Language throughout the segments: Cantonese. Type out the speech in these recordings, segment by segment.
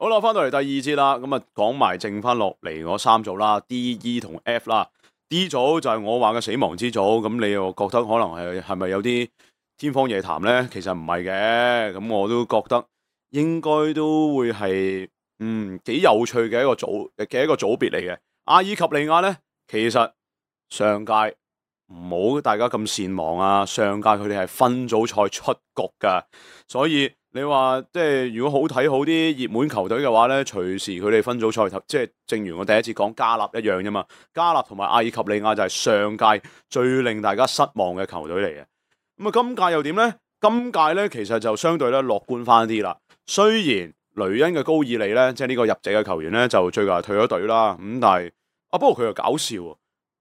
好啦，翻到嚟第二節啦，咁啊講埋剩翻落嚟嗰三組啦，D、E 同 F 啦。D 組就係我話嘅死亡之組，咁你又覺得可能係咪有啲天方夜譚咧？其實唔係嘅，咁我都覺得應該都會係幾有趣嘅一個組別嚟嘅。阿爾及利亞咧，其實上屆唔好大家咁善忘啊，上屆佢哋係分組賽出局噶，所以你話即係如果好睇好啲熱門球隊嘅話咧，隨時佢哋分組賽即係正如我第一次講加納一樣啫嘛。加納同埋阿爾及利亞就係上屆最令大家失望嘅球隊嚟嘅。咁啊，今屆又點咧？今屆咧其實就相對咧樂觀翻啲啦。雖然雷恩嘅高爾利咧，即係呢個入籍嘅球員咧，就最近係退咗隊啦。咁但係不過佢又搞笑喎，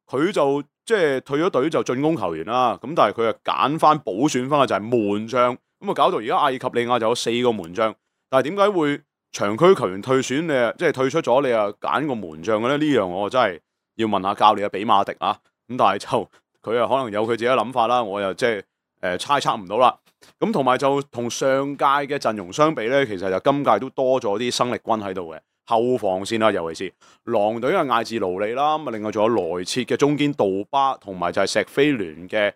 佢就即係退咗隊就進攻球員啦。咁但係佢又揀翻補選翻嘅就係門將。咁啊，搞到而家阿爾及利亞就有4個門將，但係點解會長區球員退選你啊，即係退出咗，你又揀個門將嘅咧？呢樣我真係要問下教練比馬迪啊。咁但係就佢啊，可能有佢自己嘅諗法啦，我又即係猜測唔到啦。咁同埋就同上屆嘅陣容相比咧，其實就今屆都多咗啲生力軍喺度嘅後防線啦，尤其是狼隊嘅艾治勞利啦，咁啊另外仲有萊切嘅中堅杜巴，同埋就係石飛聯嘅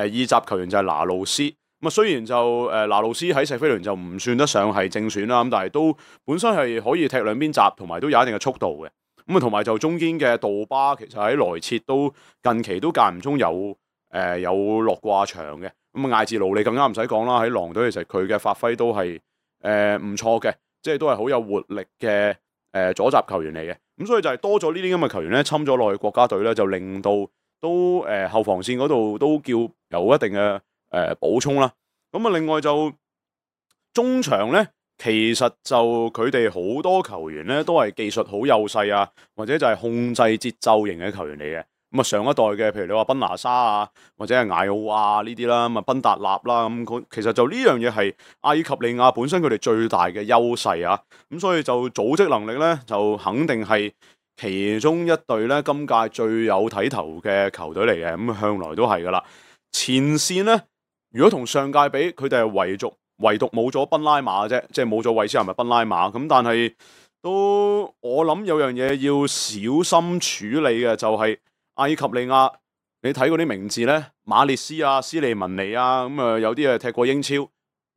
意甲球員就係拿路斯。咁啊，雖然就拿路斯喺石飛聯就唔算得上係正選啦，咁但係都本身係可以踢兩邊閘，同埋都有一定嘅速度嘅。咁啊，同埋就中堅嘅杜巴，其實喺萊切都近期都間唔中有落過場嘅。咁啊，艾治勞利更加唔使講啦，喺狼隊其實佢嘅發揮都係唔錯嘅，即係都係好有活力嘅左閘球員嚟嘅。咁所以就係多咗呢啲咁嘅球員咧，侵咗落去國家隊咧，就令到都後防線嗰度都叫有一定嘅補充啦。咁啊，另外就中場咧，其實就佢哋好多球員咧都係技術好幼細啊，或者就係控制節奏型嘅球員嚟嘅。咁啊，上一代嘅，譬如你話賓拿沙啊，或者係艾奧亞呢啲啦，咁啊賓達納啦，咁其實就呢樣嘢係阿爾及利亞本身佢哋最大嘅優勢啊。咁所以就組織能力咧，就肯定係其中一隊咧今屆最有睇頭嘅球隊嚟嘅。咁向來都係噶啦。前線咧，如果同上屆比，佢哋係唯獨冇咗賓拉馬啫，即係冇咗韋斯咸咪賓拉馬。咁但係都我諗有樣嘢要小心處理嘅就係阿爾及利亞，你睇嗰啲名字咧，馬列斯啊、斯利文尼啊，咁啊有啲啊踢過英超。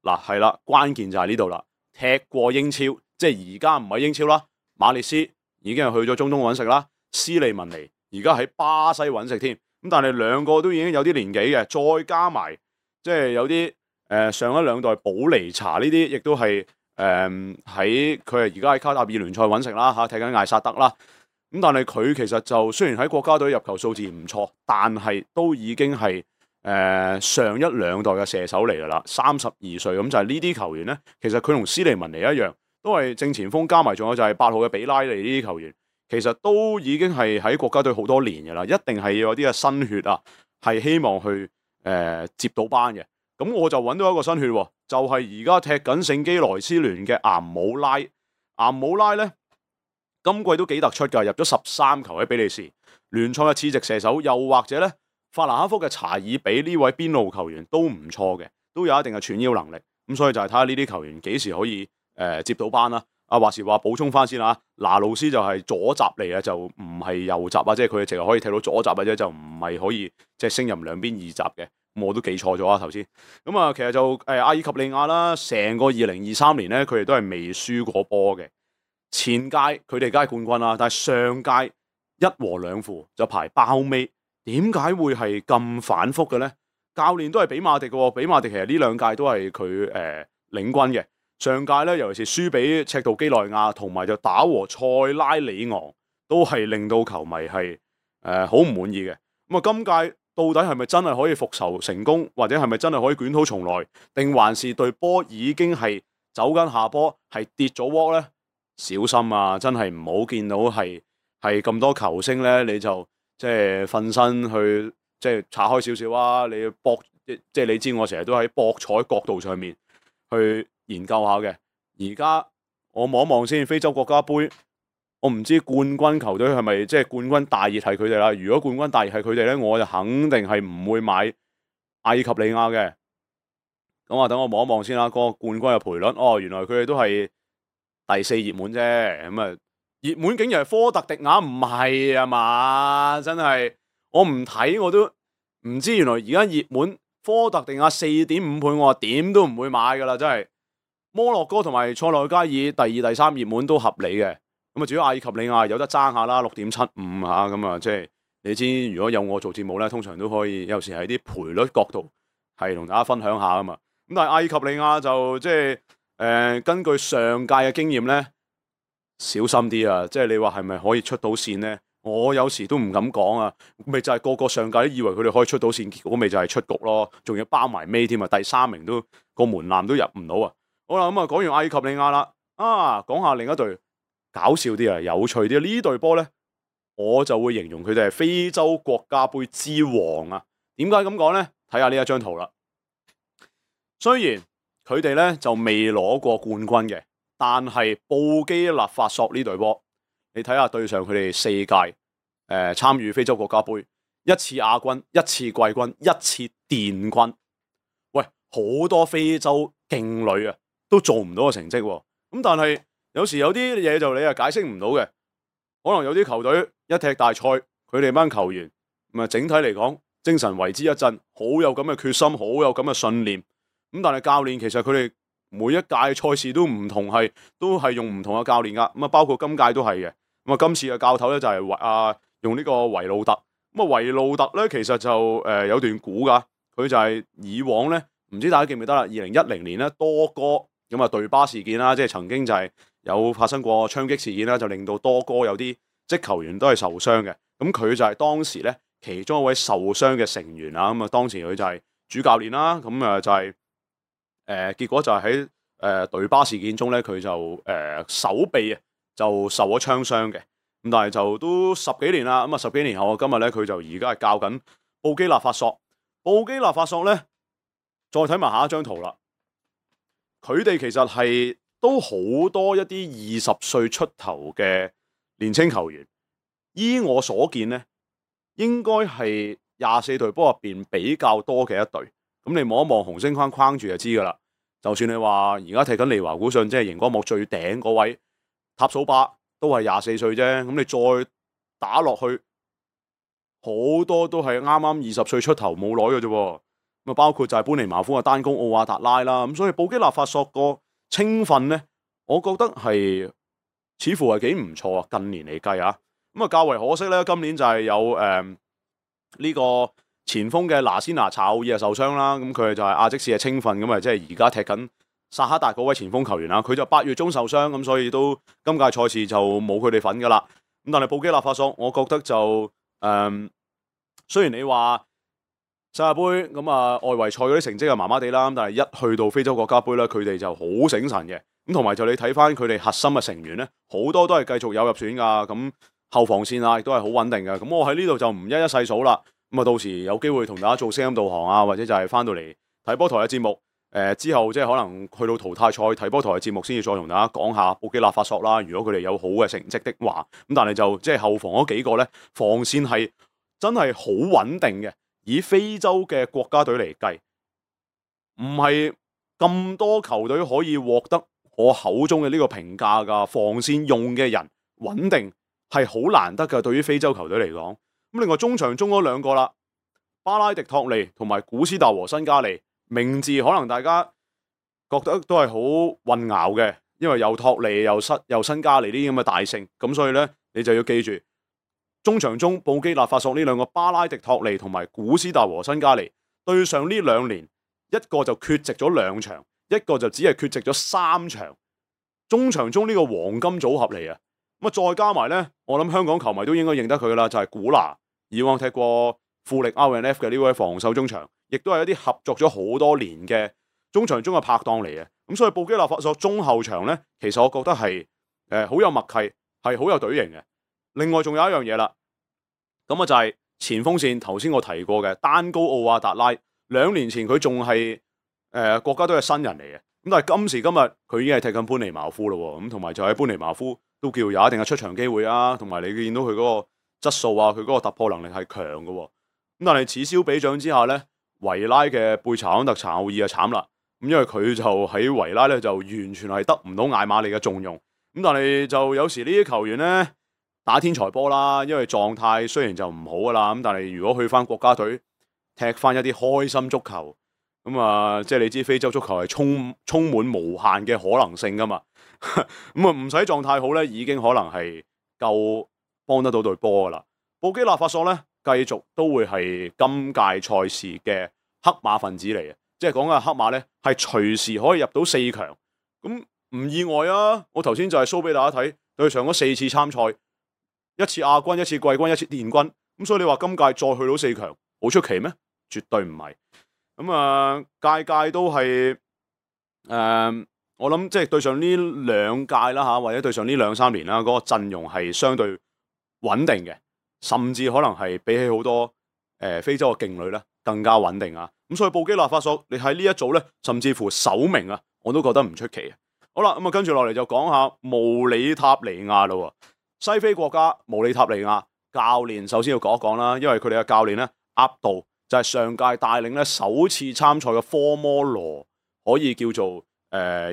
嗱係啦，關鍵就係呢度啦，踢過英超，即係而家唔係英超啦。馬列斯已經係去咗中東揾食啦，斯利文尼而家喺巴西揾食添。咁但係兩個都已經有啲年紀嘅，再加埋即係有啲上一兩代保尼查呢啲，亦都係喺佢係而家喺卡塔爾聯賽揾食啦嚇，踢緊艾薩德啦。咁但係佢其實就雖然喺國家隊入球數字唔錯，但係都已經係上一兩代嘅射手嚟㗎啦，32歲。咁就係呢啲球員咧，其實佢同斯利文尼一樣，都係正前鋒，加埋仲有就係8號嘅比拉利呢啲球員，其實都已經係喺國家隊好多年㗎啦，一定係要有啲嘅新血啊，係希望去接到班嘅。咁我就揾到一個新血喎，就係而家踢緊聖基萊斯聯嘅岩姆拉。岩姆拉咧，今季都幾突出㗎，入咗13球喺比利時聯賽嘅次席射手，又或者咧法蘭克福嘅查爾比呢位邊路球員都唔錯嘅，都有一定嘅串腰能力。咁所以就係睇下呢啲球員幾時可以接到班啦。話時話補充翻先啦，拿路斯就係左閘嚟嘅，就唔係右閘啊，即係佢淨係可以踢到左閘嘅啫，就唔係可以即係升入兩邊二閘嘅。我都記錯咗啊頭先。咁啊，其實就阿爾及利亞啦，成個2023年咧，佢哋都係未輸過波嘅。前屆佢哋梗係冠軍啦，但係上屆1和2負就排包尾。點解會係咁反覆嘅咧？教練都係比馬迪嘅，比馬迪其實呢兩屆都係佢領軍嘅。上屆咧，尤其是輸俾赤道基內亞，同埋就打和塞拉里昂，都係令到球迷係好唔滿意嘅。咁啊，今屆到底係咪真係可以復仇成功，或者係咪真係可以捲土重來，定還是隊波已經係走緊下坡，係跌咗鑊咧？小心啊！真係唔好見到係咁多球星咧，你就即係瞓身去即係拆開少少啊！你要博即係你知我成日都喺博彩角度上面去研究下嘅。而家我望一望先，非洲國家杯，我唔知冠軍球隊係咪即係冠軍大熱係佢哋啦。如果冠軍大熱係佢哋咧，我就肯定係唔會買阿爾及利亞嘅。咁啊，等我望一望先啦，嗰個冠軍嘅賠率，原來佢哋都係第4熱門啫，咁啊熱門竟然係科特迪瓦，唔係啊嘛？真係我唔睇我都唔知，原來而家熱門科特迪瓦4.5倍，我話點都唔會買噶啦，真係。摩洛哥同埋塞內加爾第2、第3熱門都合理嘅，咁啊，至於阿爾及利亞有得爭下啦，6.75嚇，咁啊，即係你知，如果有我做節目咧，通常都可以有時喺啲賠率角度係同大家分享下啊嘛。咁但係阿爾及利亞就即係根據上屆嘅經驗咧，小心啲啊！即係你話係咪可以出到線咧？我有時都唔敢講啊，咪就係個個上屆都以為佢哋可以出到線，結果咪就係出局咯，仲要包埋尾添啊，第3名都個門檻都入唔到啊！好啦，咁啊講完阿爾及利亞啦，講下另一隊搞笑啲啊，有趣啲呢隊波咧，我就會形容佢哋係非洲國家杯之王啊！點解咁講咧？睇下呢一張圖啦。雖然佢哋咧就未攞過冠軍嘅，但係布基納法索呢隊波，你睇下對上佢哋4屆參與非洲國家杯，1次亞軍、1次季軍、1次殿軍，喂，好多非洲勁旅啊！都做唔到個成績喎，咁但係有時有啲嘢就你係解釋唔到嘅，可能有啲球隊一踢大賽，佢哋班球員咁啊，整體嚟講精神為之一振，好有咁嘅決心，好有咁嘅信念。咁但係教練其實佢哋每一屆賽事都唔同，都係用唔同嘅教練噶，咁啊包括今屆都係嘅。咁啊今次嘅教頭咧就係用呢個維路特，咁啊維路特咧其實就有段古噶，佢就係以往咧唔知大家記唔記得啦，2010年咧多哥。咁啊，隊巴事件啦，即係曾經就係有發生過槍擊事件啦，就令到多哥有啲職球員都係受傷嘅。咁佢就係當時咧其中一位受傷嘅成員啊。咁啊，當時佢就係主教練啦。咁啊就係結果就係喺隊巴事件中咧，佢就手臂啊就受咗槍傷嘅。咁但係就都10幾年啦。咁啊10幾年後，今日咧佢就而家係教緊布基納法索。布基納法索咧，再睇埋下一張圖啦。佢哋其實係都好多一啲20歲出頭嘅年青球員，依我所見咧，應該係24隊波入邊比較多嘅一隊。咁你望一望紅星框框住就知噶啦。就算你話而家踢緊利華古遜，即係熒光幕最頂嗰位塔蘇巴，都係24歲啫。咁你再打落去，好多都係啱啱20歲出頭冇耐嘅啫。咁包括就係班尼茅夫嘅單攻奧瓦達拉啦，咁所以布基納法索個青訓咧，我覺得係似乎係幾唔錯啊！近年嚟計啊，咁啊較為可惜咧，今年就係有呢個前鋒嘅拿斯拿查奧爾受傷啦，咁佢就係亞積士嘅青訓，咁啊即係而家踢緊薩克達嗰位前鋒球員啦，佢就8月中受傷，咁所以都今屆賽事就冇佢哋份噶啦。咁但係布基納法索，我覺得就雖然你話世界盃咁啊，外圍賽嗰啲成績係麻麻地啦，但係一去到非洲國家杯咧，佢哋就好醒神嘅。咁同埋就你睇翻佢哋核心嘅成員咧，好多都係繼續有入選噶。咁後防線啊，亦都係好穩定嘅。咁我喺呢度就唔一一細數啦。咁啊，到時有機會同大家做聲音導航啊，或者就係翻到嚟睇波台嘅節目。之後即係可能去到淘汰賽睇波台嘅節目，先至再同大家講下布基納法索啦。如果佢哋有好嘅成績的話，咁但係就即係後防嗰幾個咧，防線係真係好穩定嘅。以非洲嘅國家隊嚟計，唔係咁多球隊可以獲得我口中嘅呢個評價㗎。防線用嘅人穩定係好難得㗎，對於非洲球隊嚟講。咁另外中場中嗰兩個啦，巴拉迪托利同埋古斯達和辛加利，名字可能大家覺得都係好混淆嘅，因為有托利又辛加利呢啲咁嘅大姓，咁所以咧你就要記住。中場中布基納法索呢兩個巴拉迪托利同埋古斯達和辛加利對上呢2年，一個就缺席咗2場，一個就只係缺席咗3場。中場中呢個黃金組合嚟啊！咁啊再加埋咧，我諗香港球迷都應該認得佢噶啦，就係古拿，以往踢過富力 RNF 嘅呢位防守中場，亦都係一啲合作咗好多年嘅中場中嘅拍檔嚟嘅。咁所以布基納法索中後場咧，其實我覺得係好有默契，係好有隊形嘅。另外仲有一樣嘢啦，咁啊就係前鋒線，頭先我提過嘅丹高奧瓦達拉，2年前佢仲係國家隊嘅新人嚟嘅，咁但係今時今日佢已經係踢緊班尼茅夫咯，咁同埋就喺班尼茅夫都叫有一定嘅出場機會啊，同埋你見到佢嗰個質素啊，佢嗰個突破能力係強嘅，咁但係此消彼長之下咧，維拉嘅貝查安特查奧爾就慘啦，咁因為佢就喺維拉咧就完全係得唔到艾馬利嘅重用。咁但係就有時呢啲球員咧打天才波啦，因為狀態雖然就唔好噶啦，咁但係如果去翻國家隊踢翻一啲開心足球，咁啊即係你知非洲足球係充滿無限嘅可能性噶嘛，咁啊唔使狀態好咧，已經可能係夠幫得到隊波噶啦。布基納法索咧繼續都會係今屆賽事嘅黑馬分子嚟嘅，即係講緊黑馬咧係隨時可以入到4強，咁唔意外啊！我頭先就係 show 俾大家睇，對上咗4次參賽，一次亞軍，一次季軍，一次殿軍，咁所以你話今屆再去到4強，好出奇咩？絕對唔係。咁啊，屆屆都係我諗即係對上呢2屆啦嚇，或者對上呢2-3年啦，嗰個陣容係相對穩定嘅，甚至可能係比起好多非洲嘅勁旅咧更加穩定啊！咁所以布基納法索你喺呢一組咧，甚至乎首名啊，我都覺得唔出奇啊！好啦，咁啊跟住落嚟就講下毛里塔尼亞啦。西非國家毛里塔尼亞教練首先要講一講啦，因為佢哋嘅教練咧鴨道就係上屆帶領咧首次參賽嘅科摩羅可以叫做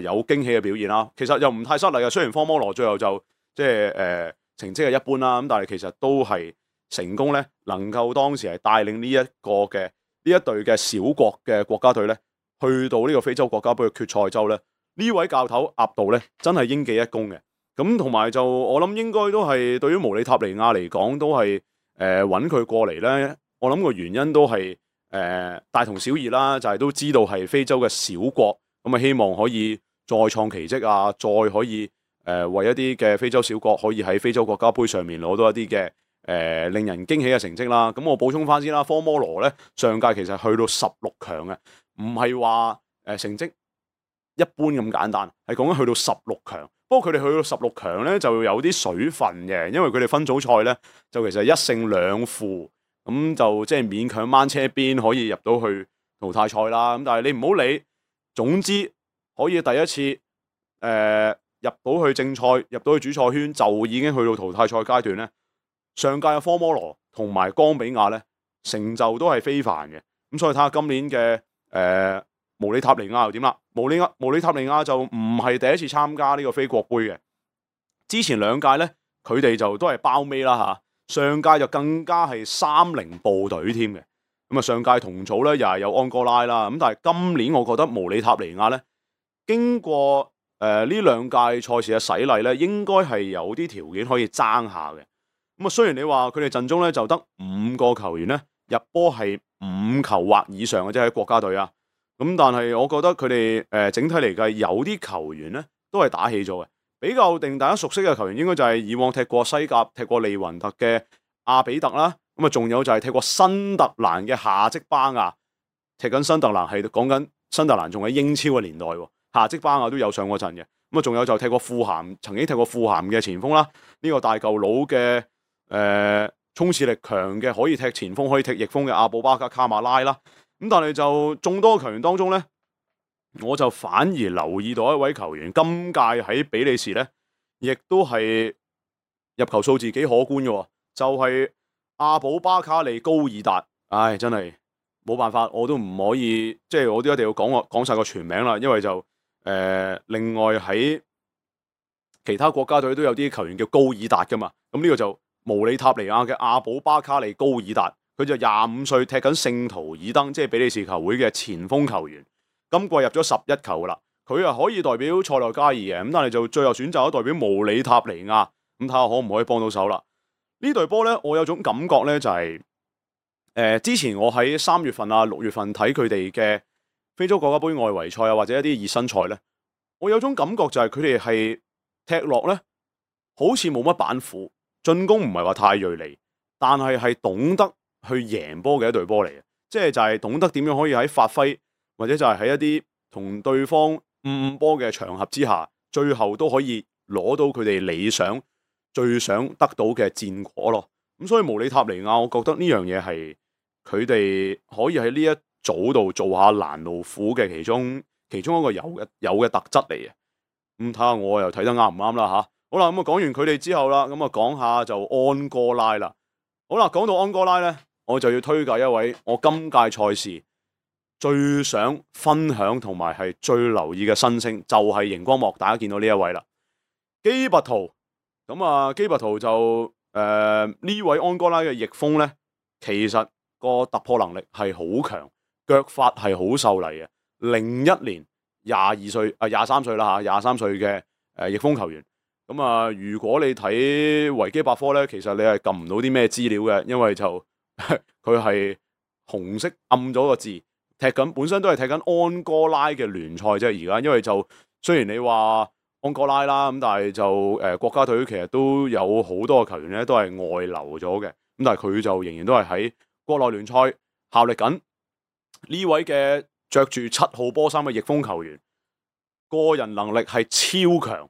有驚喜嘅表現啦。其實又唔太失禮嘅，雖然科摩羅最後就即係成績係一般啦，咁但係其實都係成功咧，能夠當時係帶領呢一隊嘅小國嘅國家隊咧，去到呢個非洲國家杯嘅決賽周咧，呢位教頭鴨道咧真係應記一功嘅。咁同埋就我諗應該都係對於毛里塔尼亞嚟講都係揾佢過嚟咧，我諗個原因都係大同小異啦，就係都知道係非洲嘅小國，咁啊希望可以再創奇蹟啊，再可以為一啲嘅非洲小國可以喺非洲國家杯上面攞到一啲嘅令人驚喜嘅成績啦。咁我補充翻先啦，科摩羅咧上屆其實去到16強嘅，唔係話成績一般咁簡單，係講緊去到16強。不過佢哋去到16強咧就有啲水分嘅，因為佢哋分組賽咧就其實1勝2負，咁就即係勉強掹車邊可以入到去淘汰賽啦。咁但係你唔好理，總之可以第一次入到去正賽，入到去主賽圈就已經去到淘汰賽階段咧。上屆嘅科摩羅同埋岡比亞咧成就都係非凡嘅，咁所以睇下今年嘅毛里塔尼亞又點啦？毛里塔尼亞就唔係第一次參加呢個非國杯嘅，之前2屆咧佢哋就都係包尾啦嚇，上屆就更加係3-0部隊添嘅。咁啊上屆同組咧又係有安哥拉啦，咁但係今年我覺得毛里塔尼亞咧經過呢2屆賽事嘅洗禮咧，應該係有啲條件可以爭下嘅。咁啊雖然你話佢哋陣中咧就得5個球員咧入波係5球或以上嘅啫，喺國家隊啊。咁但係我覺得佢哋整體嚟計有啲球員咧都係打起咗嘅，比較令大家熟悉嘅球員應該就係以往踢過西甲、踢過利雲特嘅阿比特啦，咁啊仲有就係踢過新特蘭嘅夏積巴亞，踢緊新特蘭係講緊新特蘭仲喺英超嘅年代喎，夏積巴亞都有上過陣嘅，咁啊仲有就踢過富咸，曾經踢過富咸嘅前鋒啦，呢個大舊佬嘅衝刺力強嘅可以踢前鋒可以踢翼鋒嘅阿布巴卡卡馬拉啦。咁但係就眾多球員當中咧，我就反而留意到一位球員，今屆喺比利時咧，亦都係入球數字幾可觀嘅，就係阿布巴卡利高爾達。唉，真係冇辦法，我都唔可以，即係我都一定要講晒個全名啦，因為就另外喺其他國家隊都有啲球員叫高爾達噶嘛，咁呢個就毛里塔尼亞嘅阿布巴卡利高爾達。佢就25歲，踢緊聖圖爾登，即係比利時球會嘅前鋒球員。今季入咗11球噶啦，佢啊可以代表塞內加爾嘅，咁但係就最後選擇咗代表毛里塔尼亞，咁睇下可唔可以幫到手啦？呢隊波咧，我有種感覺咧，就係之前我喺3月份啊、6月份睇佢哋嘅非洲國家杯外圍賽啊，或者一啲熱身賽咧，我有種感覺就係佢哋係踢落咧，好似冇乜板斧，進攻唔係話太銳利，但係懂得去贏波嘅一隊波嚟嘅，即係就係懂得點樣可以喺發揮，或者就係喺一啲同對方誤波嘅場合之下，最後都可以攞到佢哋理想最想得到嘅戰果咯。咁所以毛里塔尼亞，我覺得呢樣嘢係佢哋可以喺呢一組度做下攔路虎嘅其中一個有嘅特質嚟嘅。咁睇下我又睇得啱唔啱啦吓。好啦，咁啊講完佢哋之後啦，咁啊講下就安哥拉啦。好啦，講到安哥拉咧，我就要推介一位我今屆賽事最想分享同埋係最留意嘅新星，就係熒光幕大家見到呢一位啦。基拔圖咁啊，基拔圖就呢位安哥拉嘅翼鋒咧，其實個突破能力係好強，腳法係好秀麗嘅。01年23歲啦嚇，23歲嘅翼鋒球員。咁啊，如果你睇維基百科咧，其實你係撳唔到啲咩資料嘅，因為就佢係紅色暗咗個字，本身都係踢緊安哥拉嘅聯賽啫。而家因為就雖然你話安哥拉啦，咁但係就國家隊其實都有好多個球員咧都係外流咗嘅，咁但係佢就仍然都係喺國內聯賽效力緊。呢位嘅着住7號波衫嘅翼鋒球員，個人能力係超強。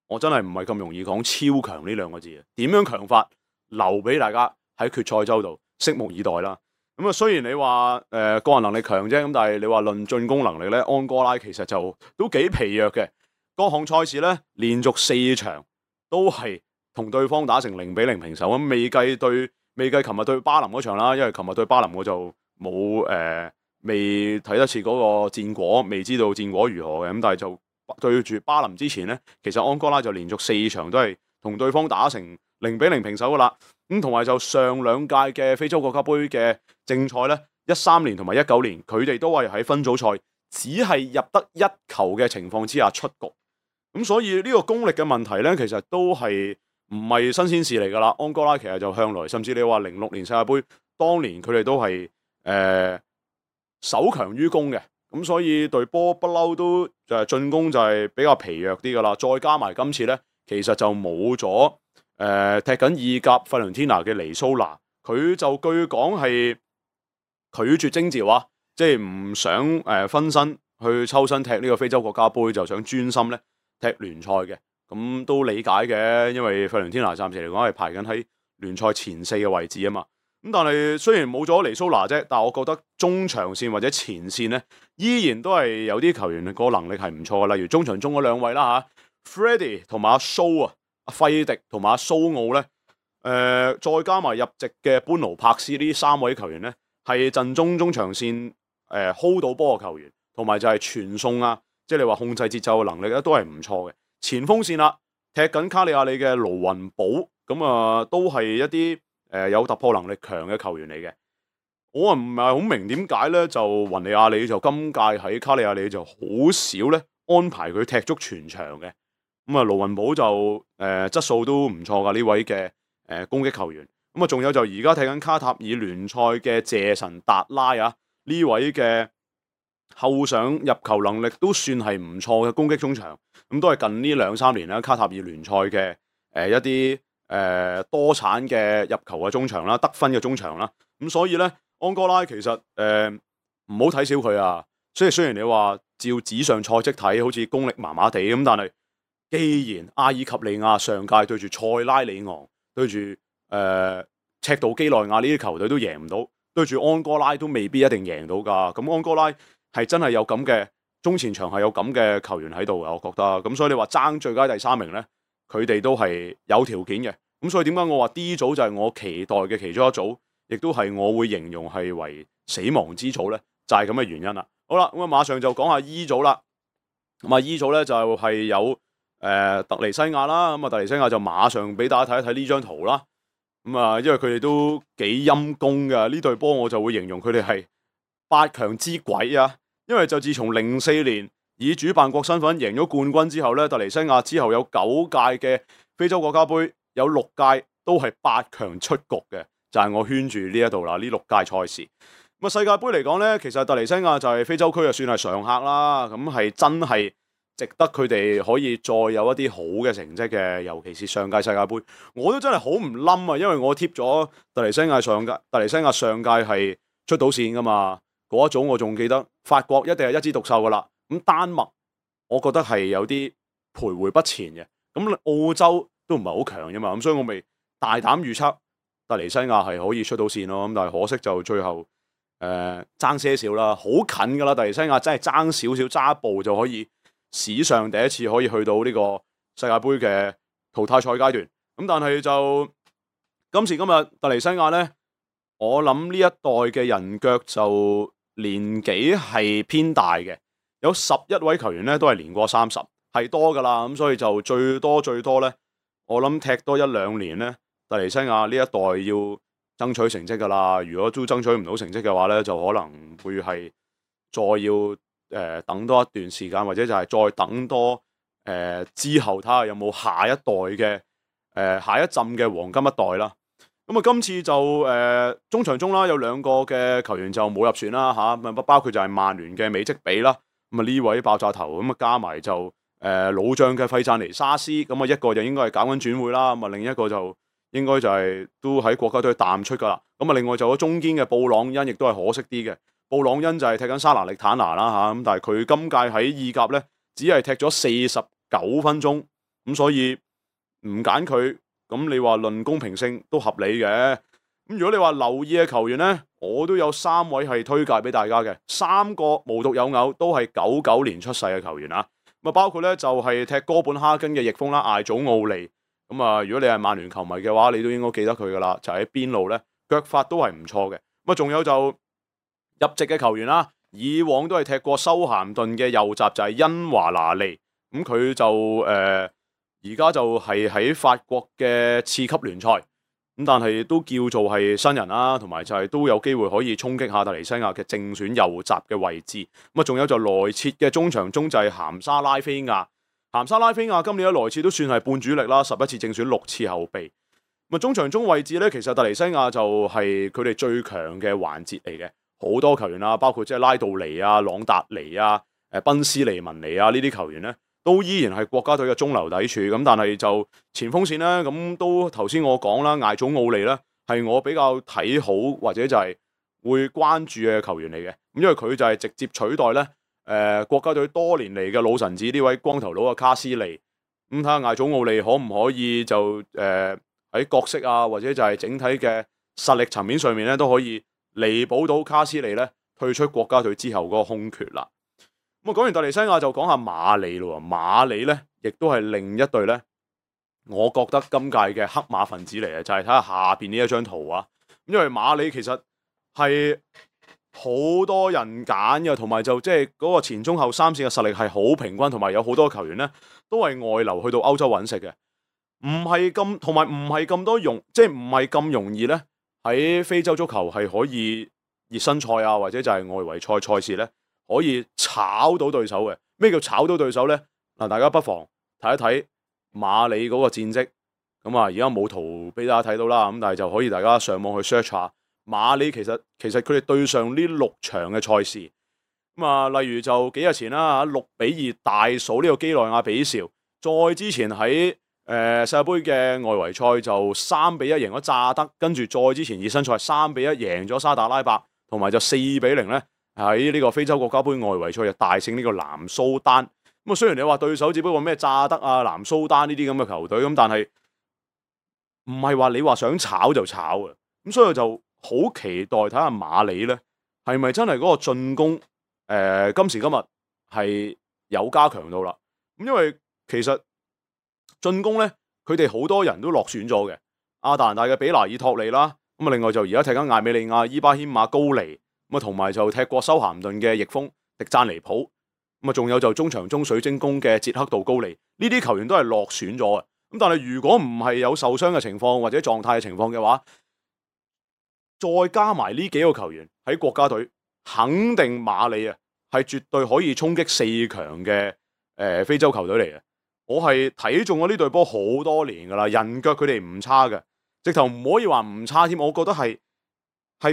我真係唔係咁容易講超強呢兩個字嘅，點樣強法留俾大家喺決賽周度拭目以待啦。咁啊，雖然你話個人能力強啫，咁但係你話論進攻能力咧，安哥拉其實就都幾疲弱嘅。各項賽事咧連續4場都係同對方打成0-0平手，咁未計琴日對巴林嗰場啦，因為琴日對巴林我就冇未睇得切嗰個戰果，未知道戰果如何嘅，咁但係就對住巴林之前咧，其實安哥拉就連續4場都係同對方打成0-0平手噶啦。咁同埋就上2屆嘅非洲國家杯嘅正賽咧，13年同埋19年，佢哋都係喺分組賽只係入得1球嘅情況之下出局。咁所以呢個功力嘅問題咧，其實都係唔係新鮮事嚟噶啦。安哥拉其實就向來，甚至你話06年世界杯當年佢哋都係守強於攻嘅。咁所以隊波不嬲都就係進攻就係比較疲弱啲噶啦，再加埋今次咧，其實就冇咗踢緊意甲費倫天拿嘅尼蘇拿，佢就據講係拒絕徵召啊，即係唔想分身去抽身踢呢個非洲國家杯，就想專心咧踢聯賽嘅。咁都理解嘅，因為費倫天拿暫時嚟講係排緊喺聯賽前4嘅位置啊嘛。咁但係雖然冇咗尼蘇拿啫，但係我覺得中場線或者前線咧，依然都係有啲球員個能力係唔錯嘅。例如中場中嗰2位啦嚇，Freddy 同埋阿蘇啊，阿費迪同埋阿蘇奧咧，再加埋入籍嘅班奴柏斯呢3位球員咧，係陣中場線hold 到波嘅球員，同埋就係傳送啊，即係你話控制節奏嘅能力咧都係唔錯嘅。前鋒線啦，踢緊卡利亞里嘅盧雲寶，咁啊都係一啲有突破能力強嘅球員嚟嘅。我唔係好明點解咧，就雲尼亞里就今屆喺卡利亞里就好少咧安排佢踢足全場嘅。咁啊盧雲寶就質素都唔錯噶，呢位嘅攻擊球員。咁啊仲有就而家踢緊卡塔爾聯賽嘅謝神達拉啊，呢位嘅後上入球能力都算係唔錯嘅攻擊中場。咁都係近呢2-3年啦，卡塔爾聯賽嘅一啲多產嘅入球嘅中場啦，得分嘅中場啦。咁所以咧，安哥拉其實唔好睇小佢啊。雖然你話照紙上賽績睇，好似功力麻麻地咁，但係既然阿爾及利亞上屆對住塞拉里昂、對住赤道基內亞呢啲球隊都贏唔到，對住安哥拉都未必一定贏到㗎。咁安哥拉係真係有咁嘅中前場係有咁嘅球員喺度嘅，我覺得。咁所以你話爭最佳第3名咧，佢哋都係有條件嘅。咁所以點解我話 D 組就係我期待嘅其中一組，亦都係我會形容係為死亡之組咧，就係咁嘅原因啦。好啦，咁啊馬上就講下 E 組啦。咁啊 E 組咧就係有特尼西亞啦。咁啊特尼西亞就馬上俾大家睇一睇呢張圖啦。咁啊因為佢哋都幾陰功㗎，呢隊波我就會形容佢哋係8強之鬼啊。因為就自從04年以主辦國身份贏咗冠軍之後咧，特尼西亞之後有9屆嘅非洲國家杯，有6屆都係8強出局嘅，就係我圈住呢一度啦。呢6屆賽事，咁啊世界杯嚟講咧，其實特尼西亞就係非洲區就算係常客啦，咁係真係值得佢哋可以再有一啲好嘅成績嘅，尤其是上屆世界杯，我都真係好唔冧啊，因為我貼咗特尼西亞上屆係出到線噶嘛。嗰一組我仲記得，法國一定係一枝獨秀噶啦。咁丹麥，我覺得係有啲徘徊不前嘅。咁澳洲都唔係好強啫嘛。咁所以我咪大膽預測特尼西亞係可以出到線咯。咁但係可惜就最後爭些少啦，好近噶啦。特尼西亞真係爭少少，揸一步就可以史上第一次可以去到呢個世界盃嘅淘汰賽階段。咁但係就今時今日特尼西亞咧，我諗呢一代嘅人腳就年紀係偏大嘅，有11位球員咧都係年過30，係多㗎啦，咁所以就最多咧，我諗踢多1-2年咧，特尼西亞呢一代要爭取成績㗎啦。如果都爭取唔到成績嘅話咧，就可能會係再要等多一段時間，或者就係再等多之後睇下有冇下一代嘅下一陣嘅黃金一代啦。咁啊，今次就中場中啦，有2個嘅球員就冇入選啦嚇，包括就係曼聯嘅美積比啦。咁啊呢位爆炸頭咁啊加埋就老將嘅費贊尼沙斯，咁啊一個就應該係搞緊轉會啦，咁啊另一個就應該就係都喺國家隊淡出噶啦。咁啊另外就有中堅嘅布朗恩，亦都係可惜啲嘅。布朗恩就係踢緊沙拿力坦拿啦嚇，咁但係佢今屆喺意甲咧，只係踢咗49分鐘，咁所以唔揀佢，咁你話論公平性都合理嘅。咁如果你話留意嘅球員咧，我都有3位係推介俾大家嘅，3個無獨有偶都係99年出世嘅球員啊。咁啊包括咧就係踢哥本哈根嘅翼鋒啦，艾祖奧利。咁啊如果你係曼聯球迷嘅話，你都應該記得佢噶啦，就喺邊路咧腳法都係唔錯嘅。咁啊仲有就入籍嘅球員啦，以往都係踢過修咸頓嘅右閘就係恩華拿利。咁佢就而家就係喺法國嘅次級聯賽，咁但係都叫做係新人啦，同埋就係都有機會可以衝擊下特尼西亞嘅正選右閘嘅位置。咁啊，仲有就萊切嘅中場中就係咸沙拉菲亞。咸沙拉菲亞今年喺萊切都算係半主力啦，11次正選6次後備。咁啊，中場中位置咧，其實特尼西亞就係佢哋最強嘅環節嚟嘅，好多球員啊，包括即係拉杜尼啊、朗達尼啊、賓斯利文尼啊呢啲球員咧，都依然係國家隊嘅中流砥柱。咁但係就前鋒線咧，咁都頭先我講啦，艾祖奧利咧係我比較睇好或者就係會關注嘅球員嚟嘅。咁因為佢就係直接取代咧國家隊多年嚟嘅老臣子呢位光頭佬嘅卡斯利。咁睇下艾祖奧利可唔可以就喺角色啊或者就係整體嘅實力層面上面咧都可以彌補到卡斯利咧退出國家隊之後嗰個空缺啦。咁啊，講完特尼西亞就講下馬里咯。馬里咧，亦都係另一隊咧，我覺得今屆嘅黑馬分子嚟嘅，就係睇下下邊呢一張圖啊。因為馬里其實係好多人揀嘅，同埋就即係嗰個前中後三線嘅實力係好平均，同埋有好多球員咧都係外流去到歐洲揾食嘅，唔係咁，同埋唔係咁多即係唔係咁容易咧喺非洲足球係可以熱身賽啊，或者就係外圍賽賽事咧。可以炒到對手嘅。咩叫炒到對手呢？嗱，大家不妨睇一睇馬里嗰個戰績。咁啊，而家冇圖俾大家睇到啦。咁但係就可以大家上網去 search 下馬里。其實佢哋對上呢6場嘅賽事。咁啊，例如就幾日前啦，6-2大掃呢個基內亞比紹。再之前喺世界盃嘅外圍賽就3-1贏咗乍得，跟住再之前熱身賽3-1贏咗沙特阿拉伯，同埋就4-0咧。喺呢個非洲國家杯外圍賽就大勝呢個南蘇丹。咁啊，雖然你話對手只不過咩乍得啊、南蘇丹呢啲咁嘅球隊，咁但係唔係話你話想炒就炒嘅。咁所以就好期待睇下馬里咧係咪真係嗰個進攻今時今日係有加強到啦。咁因為其實進攻咧佢哋好多人都落選咗嘅，亞特蘭大嘅比拿爾托利啦，咁啊另外就而家踢緊艾美利亞伊巴謙馬高尼。咁啊，同埋就踢過修咸頓嘅翼鋒迪贊尼普，咁啊，仲有就中場中水晶宮嘅捷克杜高尼，呢啲球員都係落選咗嘅。咁但係如果唔係有受傷嘅情況或者狀態嘅情況嘅話，再加埋呢幾個球員喺國家隊，肯定馬里啊係絕對可以衝擊4強嘅非洲球隊嚟嘅。我係睇中咗呢隊波好多年噶啦，人腳佢哋唔差嘅，直頭唔可以話唔差添，我覺得係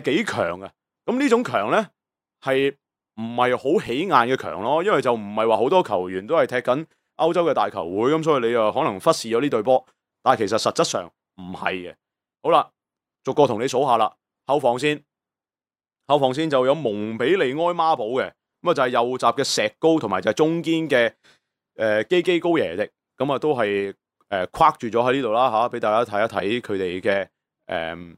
幾強嘅。咁呢種強呢，係唔係好起眼嘅強咯？因為就唔係話好多球員都係踢緊歐洲嘅大球會，咁所以你又可能忽視咗呢隊波。但係其實實質上唔係嘅。好啦，逐個同你數下啦。後防線就有蒙比利埃孖寶嘅，咁啊就係右閘嘅石高，同埋就係中堅嘅基基高耶迪，咁啊都係框住咗喺呢度啦嚇，俾大家睇一睇佢哋嘅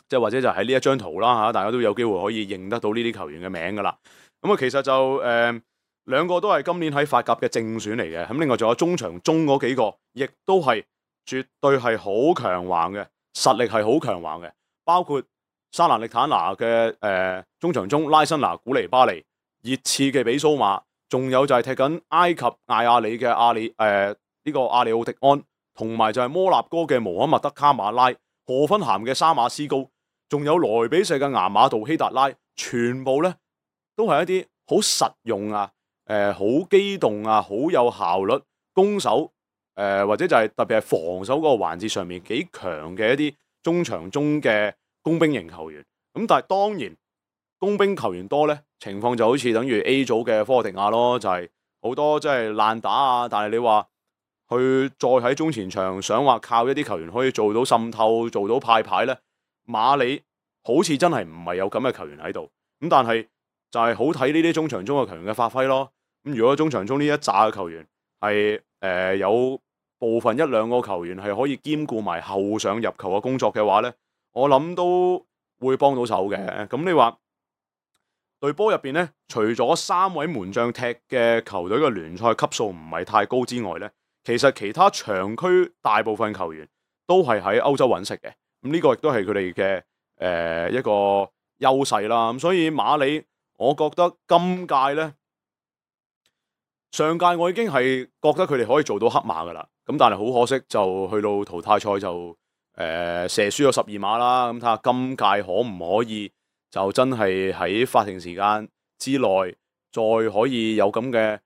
即係或者就喺呢一張圖啦嚇，大家都有機會可以認得到呢啲球員嘅名噶啦。咁啊，其實就2個都係今年喺法甲嘅正選嚟嘅。咁另外仲有中場中嗰幾個，亦都係絕對係好強橫嘅，實力係好強橫嘅。包括沙蘭力坦拿嘅中場中拉辛拿古尼巴利、熱刺嘅比蘇馬，仲有就係踢緊埃及艾亞里嘅呢個阿里奧迪安，同埋就係摩納哥嘅穆罕默德卡馬拉、荷芬咸嘅沙馬斯高，仲有萊比錫嘅牙馬杜希達拉，全部咧都係一啲好實用啊，好機動啊，好有效率攻守或者就係特別係防守嗰個環節上面幾強嘅一啲中場中嘅工兵型球員。咁但係當然工兵球員多咧，情況就好似等於 A 組嘅科特迪亞咯，就係好多即係爛打啊，但係你話去再喺中前場想話靠一啲球員可以做到滲透、做到派牌咧，馬里好似真係唔係有咁嘅球員喺度。咁但係就係好睇呢啲中場中嘅球員嘅發揮咯。咁如果中場中呢一紮嘅球員係有部分一兩個球員係可以兼顧埋後上入球嘅工作嘅話咧，我諗都會幫到手嘅。咁你話隊波入邊咧，除咗3位門將踢嘅球隊嘅聯賽級數唔係太高之外咧，其實其他場區大部分球員都係喺歐洲揾食嘅。咁呢個亦都係佢哋嘅一個優勢啦。咁所以馬里，我覺得今屆咧，上屆我已經係覺得佢哋可以做到黑馬噶啦。咁但係好可惜，就去到淘汰賽就射輸咗12碼啦。咁睇下今屆可唔可以就真係喺法定時間之內再可以有咁嘅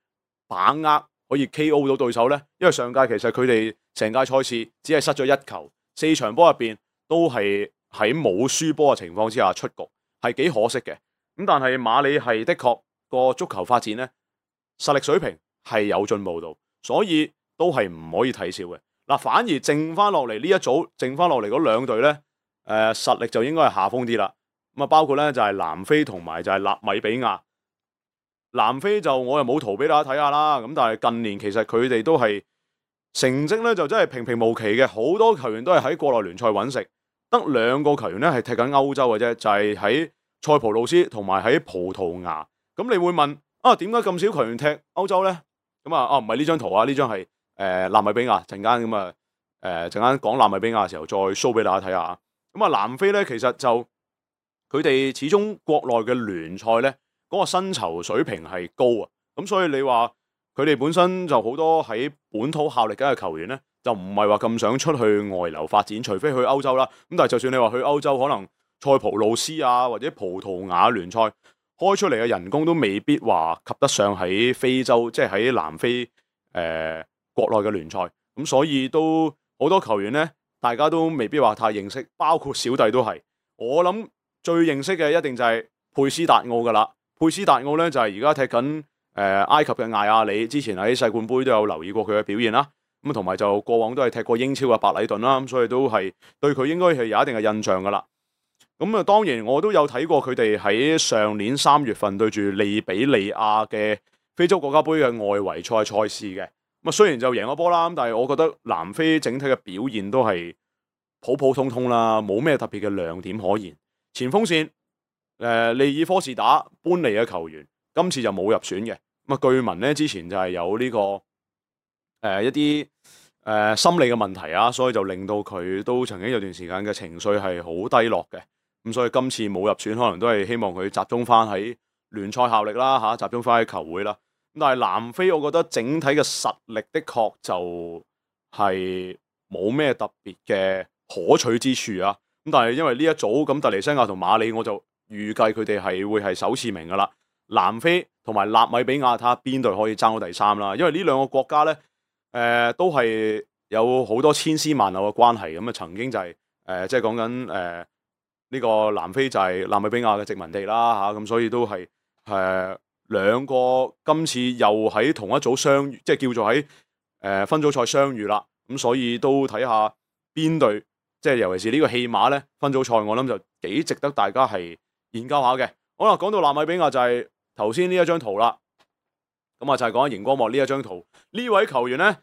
把握，可以 KO 到對手呢？因為上屆其實佢哋成屆賽事只係失咗1球，4場波入邊都係喺冇輸波嘅情況之下出局，係幾可惜嘅。咁但係馬里係的確個足球發展呢，實力水平係有進步到，所以都係唔可以睇小嘅。嗱，反而剩翻落嚟呢一組，剩翻落嚟嗰2隊呢，實力就應該係下風啲啦。咁啊，包括咧就係南非同埋就係納米比亞。南非就我又冇圖俾大家睇下啦。咁但係近年其實佢哋都係成績咧就真係平平無奇嘅，好多球員都係喺國內聯賽揾食，得2個球員咧係踢緊歐洲嘅啫，就係喺塞浦路斯同埋喺葡萄牙。咁你會問啊，點解咁少球員踢歐洲咧？咁唔係呢張圖啊，呢張係納米比亞。陣間咁啊陣間講納米比亞嘅時候再 show 俾大家睇下。咁啊南非咧其實就佢哋始終國內嘅聯賽咧，嗰個薪酬水平係高啊，咁所以你話佢哋本身就好多喺本土效力緊嘅球員咧，就唔係話咁想出去外流發展，除非去歐洲啦。咁但係就算你話去歐洲，可能塞浦路斯啊或者葡萄牙聯賽開出嚟嘅人工都未必話及得上喺非洲，即係喺南非國內嘅聯賽。咁所以都好多球員咧，大家都未必話太認識，包括小弟都係。我諗最認識嘅一定就係佩斯達奧噶啦。佩斯達奧咧就係而家踢緊埃及嘅艾亞里，之前喺世冠盃都有留意過佢嘅表現啦。咁同埋就過往都係踢過英超嘅白禮頓啦，咁所以都係對佢應該係有一定嘅印象噶啦。咁啊，當然我都有睇過佢哋喺上年3月份對住利比利亞嘅非洲國家盃嘅外圍賽事嘅。咁啊，雖然就贏咗波啦，但係我覺得南非整體嘅表現都係普普通通啦，冇咩特別嘅亮點可言。前鋒線利爾科士打搬嚟嘅球員，今次就冇入選嘅。咁啊，據聞咧之前就係有呢個一啲心理嘅問題啊，所以就令到佢都曾經有段時間嘅情緒係好低落嘅。咁所以今次冇入選，可能都係希望佢集中翻喺聯賽效力啦嚇，集中翻喺球會啦。咁但係南非，我覺得整體嘅實力的確就係冇咩特別嘅可取之處啊。咁但係因為呢一組咁突尼西亞同馬里，我就預計佢哋係會係首次名噶啦。南非同埋納米比亞，睇下邊隊可以爭到第3啦。因為呢2個國家咧，都係有好多千絲萬縷嘅關係。咁啊，曾經就係即係講緊呢個南非就係納米比亞嘅殖民地啦嚇。咁所以都係2個今次又喺同一組相遇，即係叫做喺分組賽相遇啦。咁所以都睇下邊隊，即係尤其是呢個戲碼咧，分組賽我諗就幾值得大家係研究下嘅。好啦，講到納米比亞就係頭先呢一張圖啦。咁啊就係講緊熒光幕呢一張圖，呢位球員咧，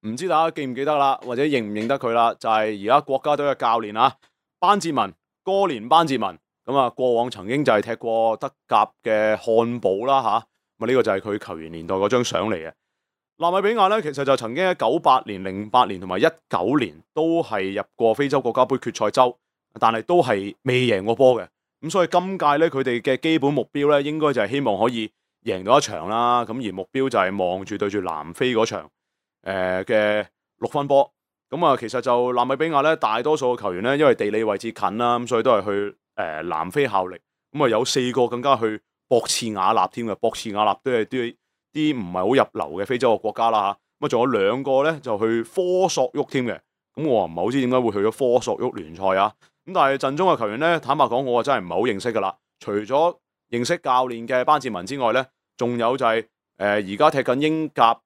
唔知大家記唔記得啦，或者認唔認得佢啦？就係而家國家隊嘅教練啊，班哲文，哥連班哲文。咁啊，過往曾經就係踢過德甲嘅漢堡啦嚇。咁呢個就係佢球員年代嗰張相嚟嘅。納米比亞咧，其實就曾經喺98年、08年同埋19年都係入過非洲國家盃決賽周，但係都係未贏過波嘅。咁所以今屆咧，佢哋嘅基本目標咧，應該就係希望可以贏到一場啦。咁而目標就係望住對住南非嗰場嘅6分波。咁啊，其實就納米比亞咧，大多數嘅球員咧，因為地理位置近啦，咁所以都係去南非效力。咁啊，有4個更加去博茨瓦納添嘅，博茨瓦納都係啲唔係好入流嘅非洲嘅國家啦嚇。咁啊，仲有2個咧就去科索沃添嘅。咁我唔係好知點解會去咗科索沃聯賽啊。咁但係陣中嘅球員咧，坦白講，我真係唔係好認識噶啦。除咗認識教練嘅班哲文之外咧，仲有就係而家踢緊英甲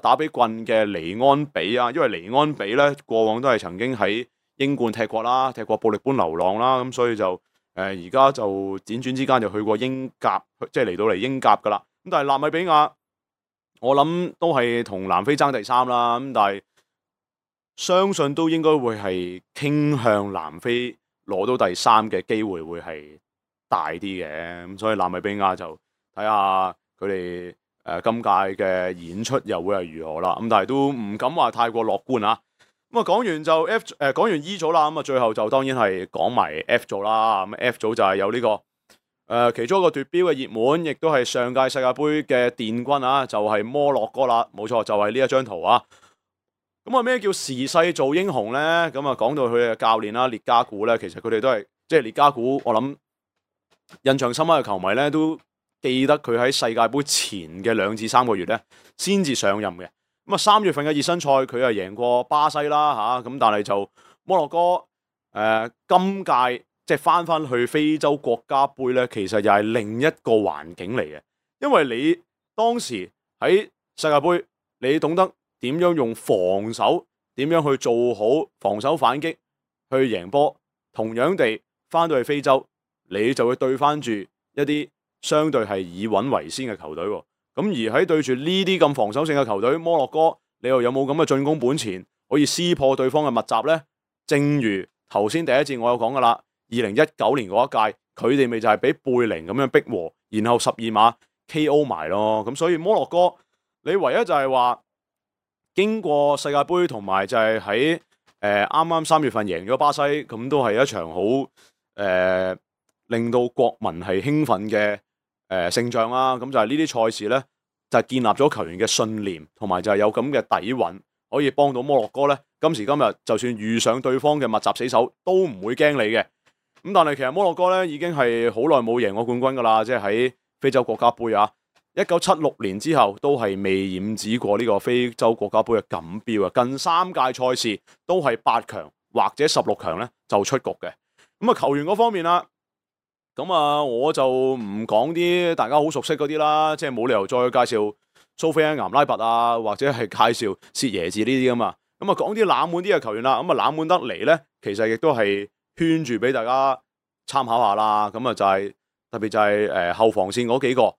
打比棍嘅尼安比啊。因為尼安比咧過往都係曾經喺英冠踢過啦，踢過布力般流浪啦，咁所以就而家就輾轉之間就去過英甲，即係嚟到嚟英甲噶啦。咁但係納米比亞，我諗都係同南非爭第3啦。咁但係相信都應該會係傾向南非攞到第3嘅機會會係大啲嘅。咁所以納米比亞就睇下佢哋今屆嘅演出又會係如何啦。咁但係都唔敢話太過樂觀啊。咁啊講完就講完 E 組啦。咁啊最後就當然係講埋 F 組啦。咁 F 組就係有呢個其中一個奪標嘅熱門，亦都係上屆世界盃嘅殿軍啊，就係摩洛哥啦。冇錯，就係呢一張圖啊。咁啊咩叫時勢造英雄咧？咁啊講到佢嘅教練啦，列加古咧，其實佢哋都係即係列加古，我諗印象深刻嘅球迷咧都記得佢喺世界盃前嘅2至3個月咧先至上任嘅。咁啊3月份嘅熱身賽佢係贏過巴西啦嚇，咁但係就摩洛哥今屆即係翻去非洲國家盃咧，其實又係另一個環境嚟嘅，因為你當時喺世界盃，你懂得點樣用防守，點樣去做好防守反擊去贏波。同樣地，翻到去非洲，你就會對翻住一啲相對係以穩為先嘅球隊。咁而喺對住呢啲咁防守性嘅球隊，摩洛哥你又有冇咁嘅進攻本錢可以撕破對方嘅密集呢？正如頭先第一節我有講噶啦，2019年嗰一屆佢哋咪就係俾貝寧咁樣逼和，然後12碼 KO 埋咯。咁所以摩洛哥你唯一就係話，經過世界盃同埋就係喺啱啱3月份贏咗巴西，咁都係一場好令到國民係興奮嘅勝仗啦。咁就係呢啲賽事呢，就係建立咗球員嘅信念，同埋就係有咁嘅底蘊，可以幫到摩洛哥呢。今時今日就算遇上對方嘅密集死守，都唔會驚你嘅。咁但係其實摩洛哥呢已經係好耐冇贏過冠軍噶啦，即係喺非洲國家盃啊。1976年之後都係未染指過呢個非洲國家盃嘅錦標啊！近3屆賽事都係8強或者16強咧就出局嘅。咁啊球員嗰方面啦，咁啊我就唔講啲大家好熟悉嗰啲啦，即係冇理由再介紹蘇菲安岩拉拔啊，或者係介紹薛耶治呢啲噶嘛。咁啊講啲冷門啲嘅球員啦，咁啊冷門得嚟咧，其實亦都係圈住俾大家參考下啦。咁啊就係特別就係後防線嗰幾個。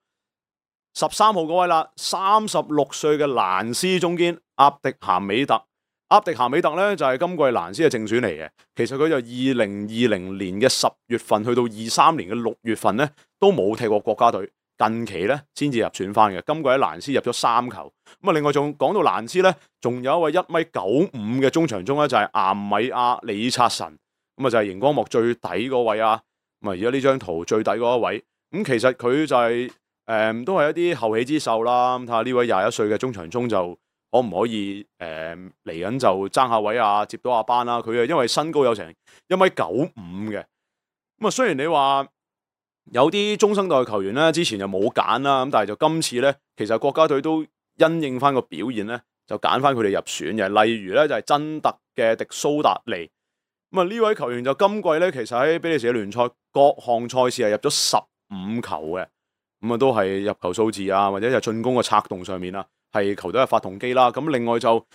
13號嗰位啦，36歲嘅蘭斯中堅阿迪咸美特。阿迪咸美特咧就係今季蘭斯嘅正選嚟嘅。其實佢就2020年嘅10月份去到23年嘅6月份咧都冇踢過國家隊，近期咧先至入選翻嘅。今季喺蘭斯入咗3球。咁啊，另外仲講到蘭斯咧，仲有一位1.95米嘅中場中咧就係岩米亞里察臣。咁啊就係熒光幕最底嗰位啊。咁啊而家呢張圖最底嗰一位，咁其實佢就係都係一啲後起之秀啦。咁睇下呢位21歲嘅中場中就可唔可以嚟緊就爭下位啊，接到阿班啦。佢啊因為身高有成1.95米嘅。咁啊雖然你話有啲中生代球員咧之前就冇揀啦，咁但係就今次咧其實國家隊都因應翻個表現咧就揀翻佢哋入選嘅。例如咧就係真特嘅迪蘇達尼。咁啊呢位球員就今季咧其實喺比利時嘅聯賽各項賽事係入咗15球嘅。咁啊，都係入球數字啊，或者係進攻嘅策動上面啊，係球隊嘅發動機啦。咁另外就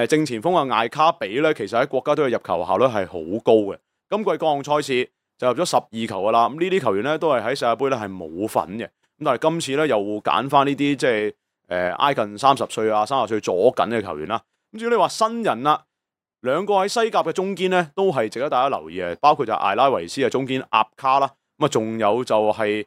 正前鋒嘅艾卡比咧，其實喺國家隊嘅入球效率係好高嘅。今季各項賽事就入咗12球噶啦。咁呢啲球員咧都係喺世界盃咧係冇份嘅。咁但係今次咧又揀翻呢啲即係挨近30歲啊、30歲左緊嘅球員啦。咁至於你話新人啦，2個喺西甲嘅中堅咧都係值得大家留意嘅，包括就艾拉維斯嘅中堅阿卡啦。咁啊，仲有就係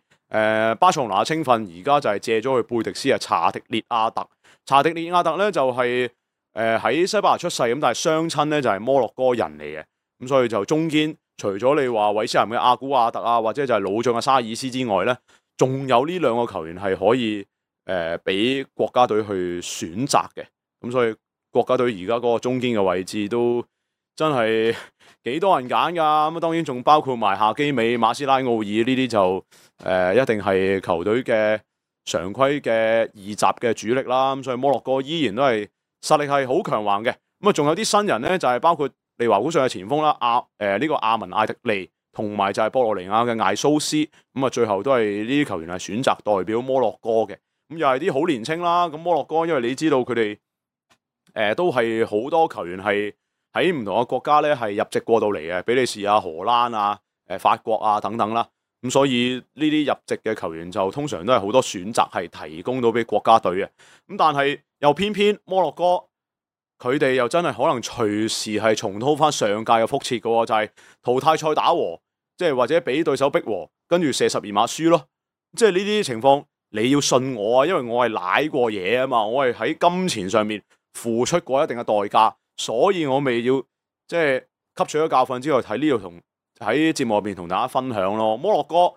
巴塞羅那青訓而家就係借咗去貝迪斯嘅查迪列亞特。查迪列亞特咧就係喺西班牙出世，咁但係雙親咧就係摩洛哥人嚟嘅。咁所以就中堅除咗你話韋斯咸嘅阿古亞特啊，或者就係老將嘅沙爾斯之外咧，仲有呢兩個球員係可以俾國家隊去選擇嘅。咁所以國家隊而家嗰個中堅嘅位置都真係幾多人揀㗎。咁當然仲包括埋夏基美、馬斯拉奧爾呢啲就一定係球隊嘅常規嘅二閘嘅主力啦。咁所以摩洛哥依然都係實力係好強橫嘅。咁啊仲有啲新人咧，就係包括利華古遜嘅前鋒啦，呢個阿文艾迪利，同埋就係博洛尼亞嘅艾蘇斯。咁啊最後都係呢啲球員係選擇代表摩洛哥嘅。咁又係啲好年青啦。咁摩洛哥因為你知道佢哋都係好多球員係喺唔同嘅國家咧係入籍過到嚟嘅，比利時啊、荷蘭啊、法國啊等等啦。咁所以呢啲入籍嘅球員就通常都係好多選擇係提供到俾國家隊嘅。咁但係又偏偏摩洛哥佢哋又真係可能隨時係重蹈翻上屆嘅覆轍嘅喎，就係淘汰賽打和，即係或者俾對手逼和，跟住射12碼輸咯。即係呢啲情況你要信我啊，因為我係舐過嘢啊嘛，我係喺金錢上面付出過一定嘅代價，所以我未要即係吸取咗教訓之後喺呢度同喺節目入邊同大家分享咯。摩洛哥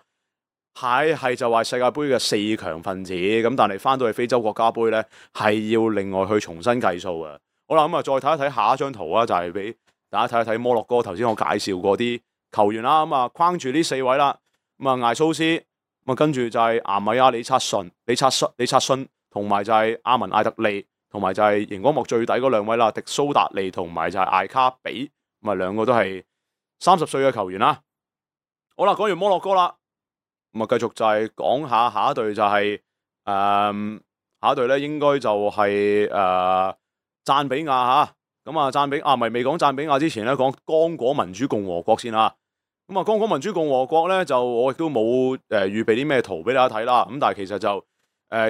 係就話世界盃嘅4強分子，咁但係翻到去非洲國家盃咧係要另外去重新計數嘅。好啦，咁啊再睇一睇下一張圖啊，就係俾大家睇一睇摩洛哥頭先我介紹過啲球員啦。咁啊框住呢4位啦，咁啊艾蘇斯，咁啊跟住就係阿米亞李察信，同埋就係阿文艾特利，同埋就係熒光幕最底嗰2位啦，迪蘇達利同埋就係艾卡比，咁啊2個都係30歲嘅球員啦。好啦，講完摩洛哥啦，咁啊繼續就係講下一隊就係下一隊咧應該就係贊比亞嚇。咁啊贊比亞未講贊比亞之前咧，講剛果民主共和國先啦。咁啊剛果民主共和國咧就我亦都冇預備啲咩圖俾大家睇啦。咁但係其實就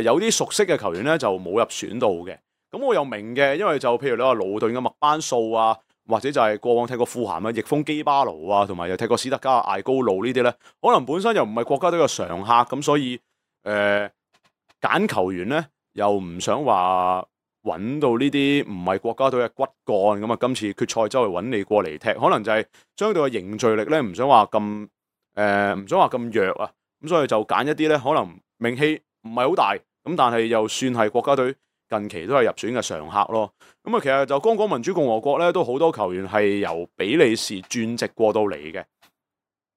有啲熟悉嘅球員咧就冇入選到嘅。咁我又明嘅，因為就譬如你話勞頓嘅麥班素啊，或者就係過往踢過富咸嘅翼鋒基巴魯啊，同埋又踢過史特加艾高路呢啲咧，可能本身又唔係國家隊嘅常客，咁所以揀球員咧又唔想話揾到呢啲唔係國家隊嘅骨幹，咁啊今次決賽周圍揾你過嚟踢，可能就係相對嘅凝聚力咧唔想話咁弱啊，咁所以就揀一啲咧可能名氣唔係好大，咁但係又算係國家隊近期都係入選嘅常客咯。咁啊其實就剛果民主共和國咧都好多球員係由比利時轉籍過到嚟嘅。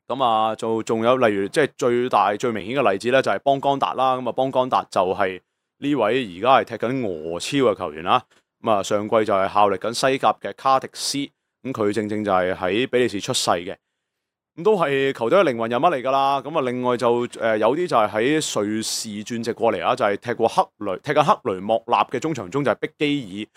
咁啊就仲有例如即係最大最明顯嘅例子咧就係邦江達啦。咁啊邦江達就係呢位而家係踢緊俄超嘅球員啦。咁啊上季就係效力緊西甲嘅卡迪斯，咁佢正正就係喺比利時出世嘅，咁都係球隊嘅靈魂人物嚟㗎啦。咁啊另外就有啲就係喺瑞士轉籍過嚟啊，就係踢緊克雷莫納嘅中場中就係碧基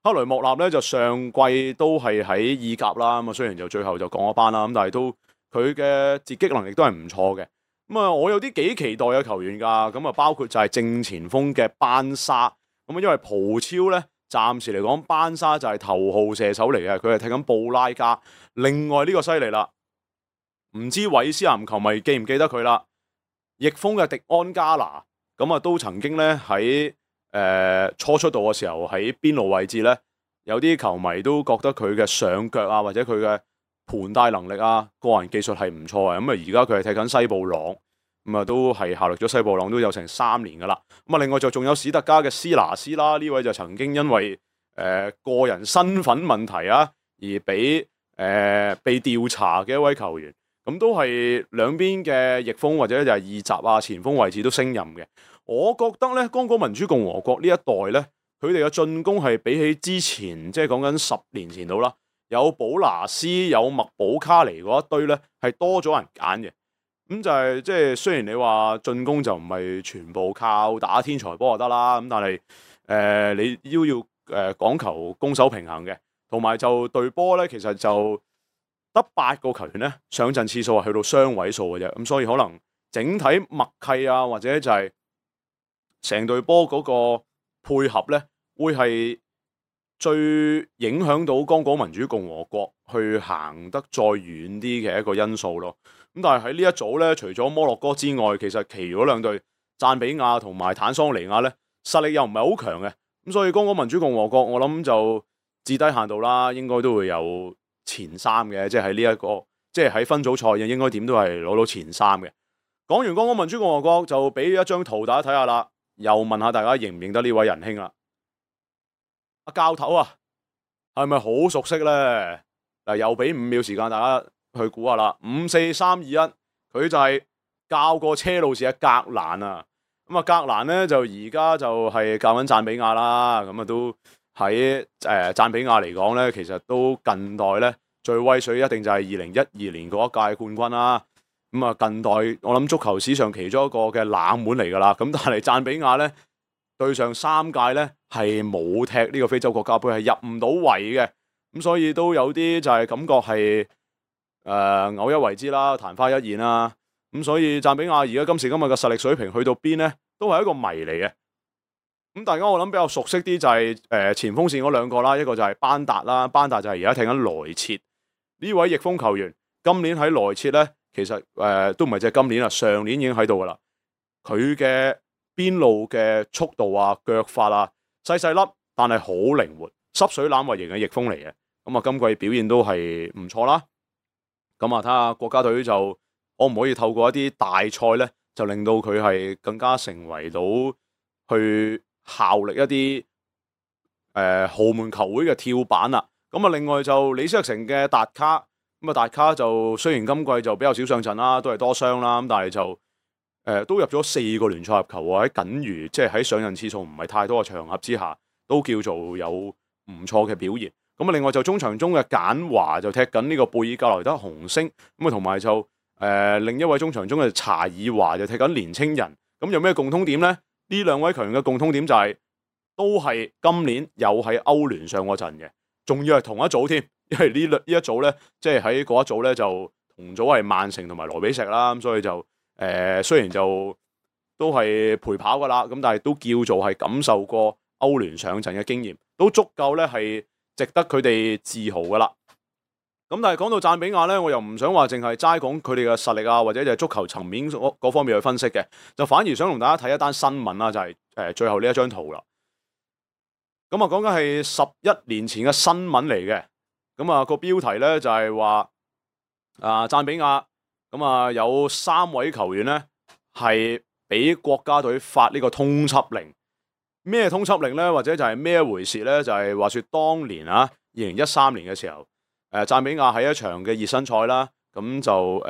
爾。克雷莫納咧就上季都係喺意甲啦。咁啊雖然就最後就降咗班啦，咁但係都佢嘅截擊能力都係唔錯嘅。咁啊，我有啲幾期待嘅球員㗎，咁啊包括就係正前鋒嘅班沙。咁啊，因為葡超咧，暫時嚟講班沙就係頭號射手嚟嘅，佢係踢緊布拉加。另外呢個犀利啦，唔知韋斯咸球迷記唔記得佢啦？翼鋒嘅迪安加拿，咁啊都曾經咧喺初出道嘅時候喺邊路位置咧，有啲球迷都覺得佢嘅上腳啊，或者佢嘅盤帶能力啊，個人技術係唔錯嘅。咁啊而家佢係踢緊西布朗，咁啊都係效力咗西布朗都有成3年噶啦。咁啊另外就仲有史特加嘅斯拿斯啦，呢位就曾經因為個人身份問題啊而被調查嘅一位球員。咁都係兩邊嘅翼鋒或者就係二閘啊前鋒位置都升任嘅。我覺得咧，剛果民主共和國呢一代咧，佢哋嘅進攻係比起之前即係講緊10年前到啦，有保拿斯有麥保卡尼嗰一堆咧，係多咗人揀嘅。咁就係即係雖然你話進攻就唔係全部靠打天才波就得啦，咁但係你要講求攻守平衡嘅，同埋就隊波咧其實就得8個球員咧上陣次數係去到雙位數嘅啫。咁所以可能整體默契啊，或者就係成隊波嗰個配合咧，會係最影響到剛果民主共和國去行得再遠啲嘅一個因素咯。咁但係喺呢一組咧，除咗摩洛哥之外，其實其餘嗰2隊贊比亞同埋坦桑尼亞咧，實力又唔係好強嘅。咁所以剛果民主共和國我諗就至低限度啦，應該都會有前3嘅，即係喺呢一個即係喺分組賽應該點都係攞到前3嘅。講完剛果民主共和國就俾一張圖大家睇下啦，又問下大家認唔認得呢位仁兄啦？阿教頭啊，係咪好熟悉咧？嗱，又俾5秒時間大家去估下啦，5、4、3、2、1，佢就係教過車路士嘅格蘭啊。咁啊，格蘭咧就而家就係教緊贊比亞啦。咁啊，都喺贊比亞嚟講咧，其實都近代咧最威水一定就係2012年嗰一屆冠軍啦。咁啊，近代我諗足球史上其中一個嘅冷門嚟㗎啦。咁但係贊比亞咧對上3屆咧係冇踢呢個非洲國家杯，係入唔到圍嘅。咁所以都有啲就係感覺係偶一為之啦，曇花一現啦。咁所以贊比亞而家今時今日嘅實力水平去到邊咧，都係一個謎嚟嘅。咁大家我諗比較熟悉啲就係前鋒線嗰兩個啦，一個就係班達啦，班達就係而家踢緊萊切呢位翼鋒球員，今年喺萊切咧，其實都唔係淨係今年啦，上年已經喺度噶啦。佢嘅邊路嘅速度啊、腳法啊，細細粒，但係好靈活，濕水欖為型嘅翼鋒嚟嘅。咁啊，今季表現都係唔錯啦。咁啊，睇下國家隊就可唔可以透過一啲大賽咧，就令到佢係更加成為到去效力一啲豪門球會嘅跳板啦。咁啊，另外就李斯特城嘅達卡，咁啊達卡就雖然今季就比較少上陣啦，都係多傷啦，咁但係就都入咗4個聯賽入球喎，喺僅餘即係喺上陣次數唔係太多嘅場合之下，都叫做有唔錯嘅表現。咁啊，另外就中場中嘅簡華就踢緊呢個貝爾格萊德紅星，咁啊同埋就另一位中場中嘅查爾華就踢緊年青人。咁有咩共通點呢？呢兩位球員嘅共通點就係都係今年有喺歐聯上過陣嘅，仲要係同一組添，因為呢一組咧，即係喺嗰一組咧就同組係曼城同埋羅比錫啦，咁所以就雖然就都係陪跑噶啦，咁但係都叫做係感受過歐聯上陣嘅經驗，都足夠咧係值得佢哋自豪噶啦。咁但係講到贊比亞咧，我又唔想話淨係齋講佢哋嘅實力啊，或者就係足球層面嗰方面去分析嘅，就反而想同大家睇一單新聞啦，就係最後呢一張圖啦。咁啊，講緊係11年前嘅新聞嚟嘅。咁啊，個標題咧就係話贊比亞咁啊有3位球員咧係俾國家隊發呢個通緝令。咩通緝令咧？或者就係咩一回事咧？就係話說當年啊，2013年嘅時候，贊比亞喺一場嘅熱身賽啦，咁就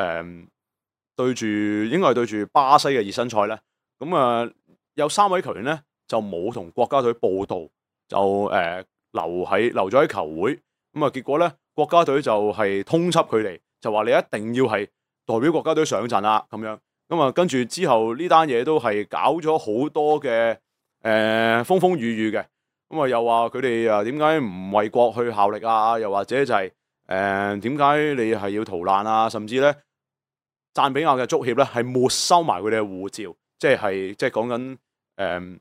對住應該係對住巴西嘅熱身賽咧，咁有3位球員咧就冇同國家隊報到，就留咗喺球會，咁啊結果咧國家隊就係通緝佢哋，就話你一定要係代表國家隊上陣啦咁樣，咁啊跟住之後呢單嘢都係搞咗好多嘅風風雨雨嘅，咁啊又話佢哋點解唔為國去效力啊？又或者就係點解你係要逃難啊？甚至咧贊比亞嘅足協咧係沒收埋佢哋嘅護照，即係講緊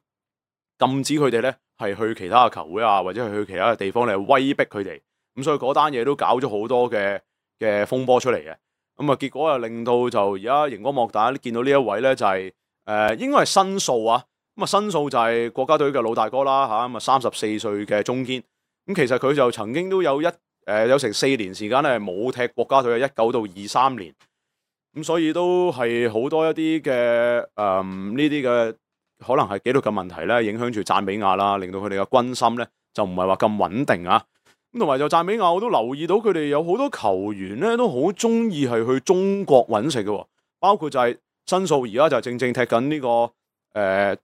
禁止佢哋咧係去其他嘅球會啊，或者係去其他嘅地方嚟威逼佢哋。咁所以嗰單嘢都搞咗好多嘅風波出嚟嘅。咁啊結果又令到就而家熒光幕大家見到呢一位咧就係應該係申訴啊。咁啊，申訴就係國家隊嘅老大哥啦嚇，咁啊34歲嘅中堅。咁其實佢就曾經都有成4年時間咧冇踢國家隊嘅，19到23年。咁所以都係好多一啲嘅呢啲嘅可能係紀律嘅問題咧，影響住贊比亞啦，令到佢哋嘅軍心咧就唔係話咁穩定啊。咁同埋就贊比亞，我都留意到佢哋有好多球員咧都好中意係去中國揾食嘅，包括就係申訴而家就正踢緊呢個。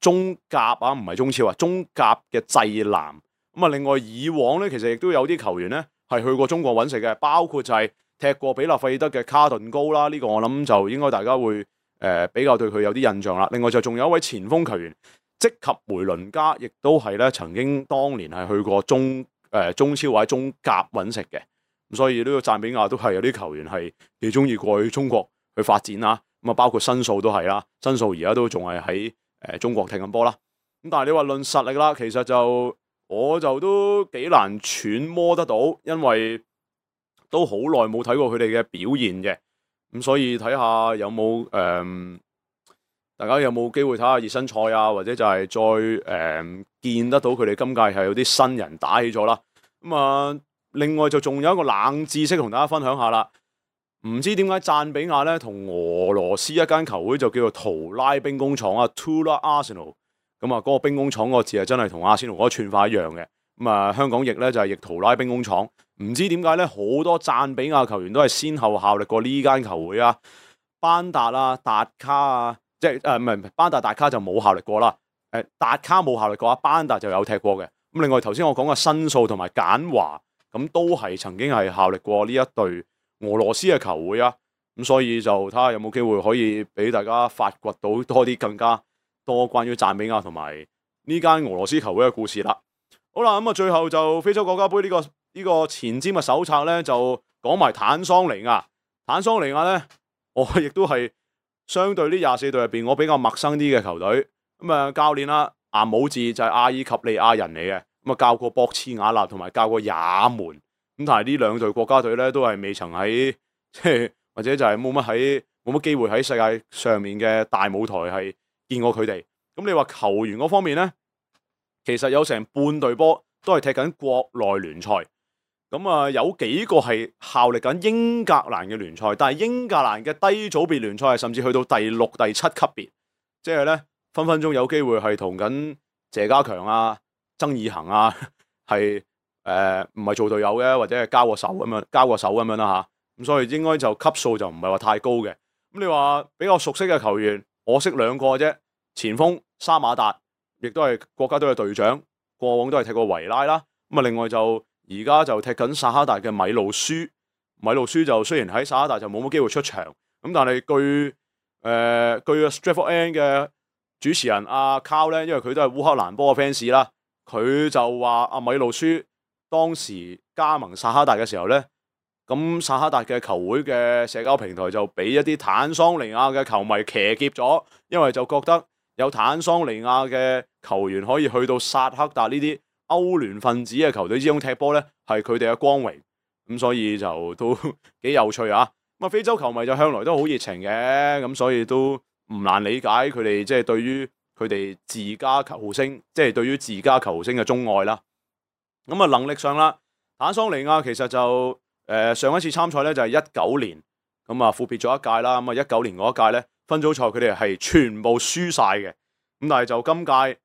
中甲啊，唔係中超啊，中甲嘅濟南。咁啊，另外以往咧，其實亦都有啲球員咧係去過中國揾食嘅，包括就係踢過比勒費德嘅卡頓高啦。呢個我諗就應該大家會比較對佢有啲印象啦。另外就仲有一位前鋒球員積及梅倫加，亦都係咧曾經當年係去過中超或者中甲揾食嘅。咁所以呢個贊比亞都係有啲球員係幾中意過去中國去發展啦。咁啊，包括申訴都係啦，申訴而家都仲係喺中國踢緊波啦，咁但係你話論實力啦，其實就我就都幾難揣摩得到，因為都好耐冇睇過佢哋嘅表現嘅，咁所以睇下有冇大家有冇機會睇下熱身賽啊，或者就係再見得到佢哋今屆係有啲新人打起咗啦。咁另外就仲有一個冷知識同大家分享下啦，唔知點解贊比亞咧同俄羅斯一間球會就叫做圖拉兵工廠啊 ，Tula Arsenal。咁啊，嗰個兵工廠個字係真係同阿仙奴嗰個串法一樣嘅。咁啊，香港譯咧就係譯圖拉兵工廠。唔知點解咧，好多贊比亞球員都係先後效力過呢間球會啊。班達啊、達卡啊，即係唔係班達達卡就冇效力過啦。達卡冇效力過，班達就有踢過嘅。咁另外頭先我講嘅申訴同埋簡華，咁都係曾經係效力過呢一隊俄羅斯嘅球會啊。咁所以就睇下有冇機會可以俾大家發掘到多啲更加多關於贊比亞同埋呢間俄羅斯球會嘅故事啦。好啦，咁啊最後就非洲國家杯呢個前瞻嘅手冊咧，就講埋坦桑尼亞。坦桑尼亞咧，我亦都係相對呢24隊入邊我比較陌生啲嘅球隊。咁啊教練啦，阿姆治就係阿爾及利亞人嚟嘅，咁啊教過博茨瓦納同埋教過也門。咁但係呢兩隊國家隊咧都係未曾喺即係或者就係冇乜機會喺世界上面嘅大舞台係見過佢哋。咁你話球員嗰方面咧，其實有成半隊波都係踢緊國內聯賽。咁啊有幾個係效力緊英格蘭嘅聯賽，但係英格蘭嘅低組別聯賽係甚至去到第6、第7級別，即係咧分分鐘有機會係同緊謝家強啊、曾以恒啊係唔係做隊友嘅，或者係交個手咁樣啦嚇。咁所以應該就級數就唔係話太高嘅。咁你話比較熟悉嘅球員，我識2個啫。前鋒沙馬達，亦都係國家隊嘅隊長，過往都係踢過維拉啦。咁啊，另外就而家就踢緊薩哈達嘅米路舒。米路舒就雖然喺薩哈達就冇乜機會出場，咁但係據 Stratford End 嘅主持人阿 Carl 咧，因為佢都係烏克蘭波嘅 fans 啦，佢就話阿米路舒當時加盟薩哈達嘅時候咧，咁薩哈達嘅球會嘅社交平台就俾一啲坦桑尼亞嘅球迷騎劫咗，因為就覺得有坦桑尼亞嘅球員可以去到薩克達呢啲歐聯分子嘅球隊之中踢波咧，係佢哋嘅光榮。咁所以就都幾有趣啊！咁啊，非洲球迷就向來都好熱情嘅，咁所以都唔難理解佢哋即係對於佢哋自家球星，即係對於自家球星嘅鍾愛啦。咁啊，能力上啦，坦桑尼亞其實就上一次參賽咧就係19年，咁啊闊別咗一屆啦。咁啊19年嗰一屆咧分組賽佢哋係全部輸晒嘅，咁但係就今屆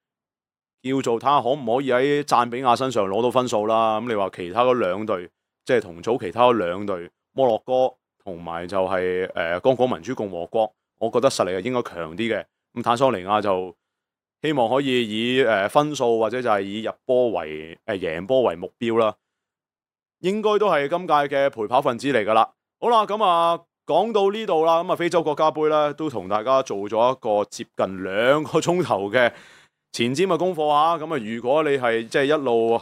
叫做睇下可唔可以喺贊比亞身上攞到分數啦。咁你話其他嗰2隊，即係同組其他嗰2隊摩洛哥同埋就係剛果民主共和國，我覺得實力係應該強啲嘅。咁坦桑尼亞就希望可以以分數或者就係以入波為贏波為目標啦。應該都係今屆嘅陪跑分子嚟噶啦。好啦，咁啊講到呢度啦，咁啊非洲國家杯咧都同大家做咗一個接近2個鐘頭嘅前瞻嘅功課啊。咁啊如果你係即係一路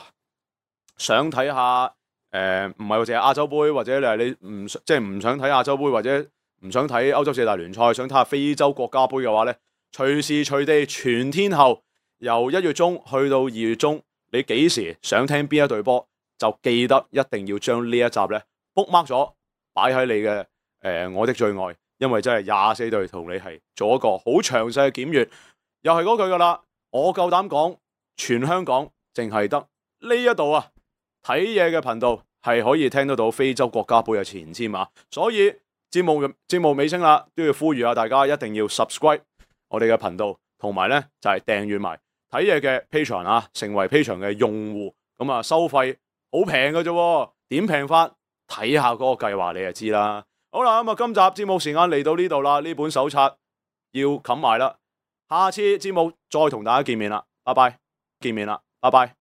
想睇下唔係淨係亞洲杯，或者你唔想睇亞洲杯，或者唔想睇歐洲4大聯賽，想睇下非洲國家杯嘅話咧，隨時隨地全天候由1月中去到2月中，你幾時想聽邊一隊波，就記得一定要將呢一集咧 bookmark 咗，擺喺你嘅我的最愛，因為真係24隊同你係做一個好詳細嘅檢閱。又係嗰句噶啦，我夠膽講，全香港淨係得呢一度啊睇嘢嘅頻道係可以聽得到非洲國家杯嘅前瞻啊。所以節目尾聲啦，都要呼籲下大家一定要 subscribe 我哋嘅頻道，同埋咧就係訂閱埋睇嘢嘅 Patreon 啊，成為 Patreon 嘅用戶。咁啊收費好平嘅啫，點平法？睇下嗰個計劃你就知啦。好啦，咁啊今集節目時間嚟到呢度啦，呢本手冊要冚埋啦。下次節目再同大家見面啦，拜拜，見面啦，拜拜。